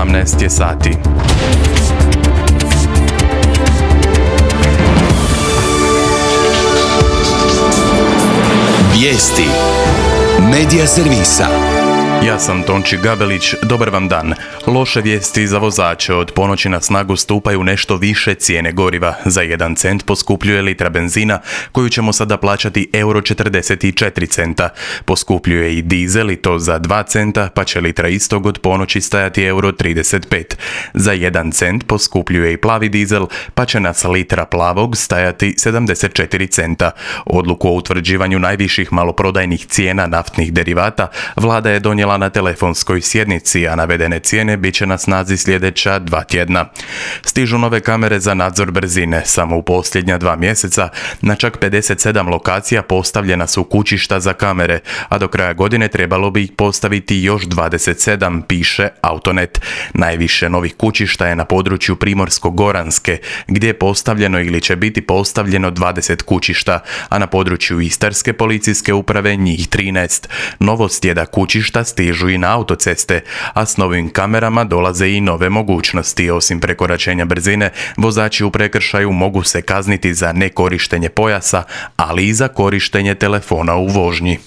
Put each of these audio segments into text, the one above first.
18 je sati. Vijesti Medija servisa. Ja sam Tonči Gabelić, dobar vam dan. Loše vijesti za vozače. Od ponoći na snagu stupaju nešto više cijene goriva. Za 1 cent poskupljuje litra benzina, koju ćemo sada plaćati euro 44 centa. Poskupljuje i dizel, i to za 2 centa, pa će litra istog od ponoći stajati euro 35. Za 1 cent poskupljuje i plavi dizel, pa će nas litra plavog stajati 74 centa. Odluku o utvrđivanju najviših maloprodajnih cijena naftnih derivata vlada je donijela na telefonskoj sjednici, a navedene cijene bit će na snazi sljedeća 2 tjedna. Stižu nove kamere za nadzor brzine. Samo u posljednja 2 mjeseca na čak 57 lokacija postavljena su kućišta za kamere, a do kraja godine trebalo bi ih postaviti još 27, piše Autonet. Najviše novih kućišta je na području Primorsko-goranske, gdje je postavljeno ili će biti postavljeno 20 kućišta, a na području Istarske policijske uprave njih 13. Novost je da kućišta stižu i na autoceste, a s novim kamerama dolaze i nove mogućnosti. Osim prekoračenja brzine, vozači u prekršaju mogu se kazniti za nekorištenje pojasa, ali i za korištenje telefona u vožnji.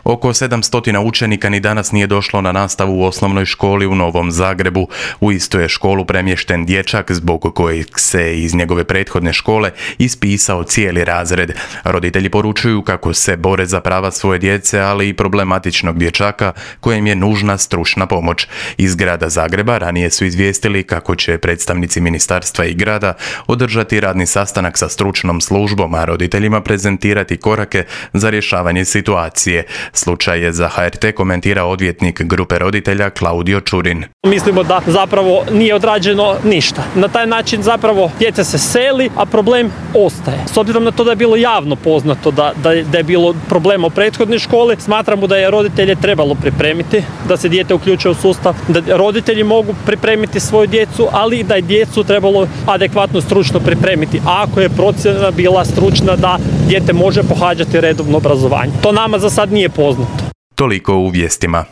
Oko 700 učenika ni danas nije došlo na nastavu u osnovnoj školi u Novom Zagrebu. U istu je školu premješten dječak zbog kojeg se iz njegove prethodne škole ispisao cijeli razred. Roditelji poručuju kako se bore za prava svoje djece, ali i problematičnog dječaka kojem je nužna stručna pomoć. Iz grada Zagreba ranije su izvijestili kako će predstavnici ministarstva i grada održati radni sastanak sa stručnom službom, a roditeljima prezentirati korake za rješavanje situacije. Slučaj je za HRT komentira odvjetnik grupe roditelja Klaudio Čurin. Mislimo da zapravo nije odrađeno ništa. Na taj način zapravo dijete se seli, a problem ostaje. S obzirom na to da je bilo javno poznato da je bilo problema u prethodnoj školi, smatramo da je roditelje trebalo pripremiti, da se dijete uključuje u sustav, da roditelji mogu pripremiti svoju djecu, ali i da je djecu trebalo adekvatno stručno pripremiti, ako je procjena bila stručna da dijete može pohađati redovno obrazovanje. To nama za sad nije poznato. Toliko u vijestima.